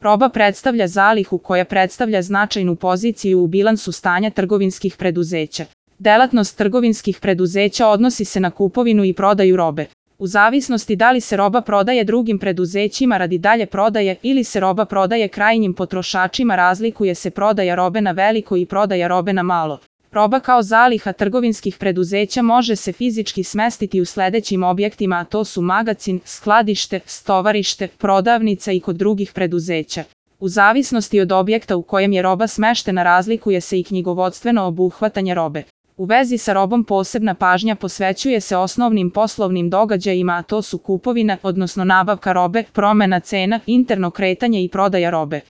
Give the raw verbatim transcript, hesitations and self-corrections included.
Roba predstavlja zalihu koja predstavlja značajnu poziciju u bilansu stanja trgovinskih preduzeća. Delatnost trgovinskih preduzeća odnosi se na kupovinu i prodaju robe. U zavisnosti da li se roba prodaje drugim preduzećima radi dalje prodaje ili se roba prodaje krajnjim potrošačima, razlikuje se prodaja robe na veliko i prodaja robe na malo. Roba kao zaliha trgovinskih preduzeća može se fizički smestiti u sledećim objektima, a to su magacin, skladište, stovarište, prodavnica i kod drugih preduzeća. U zavisnosti od objekta u kojem je roba smeštena razlikuje se i knjigovodstveno obuhvatanje robe. U vezi sa robom posebna pažnja posvećuje se osnovnim poslovnim događajima, a to su kupovina, odnosno nabavka robe, promena cena, interno kretanje i prodaja robe.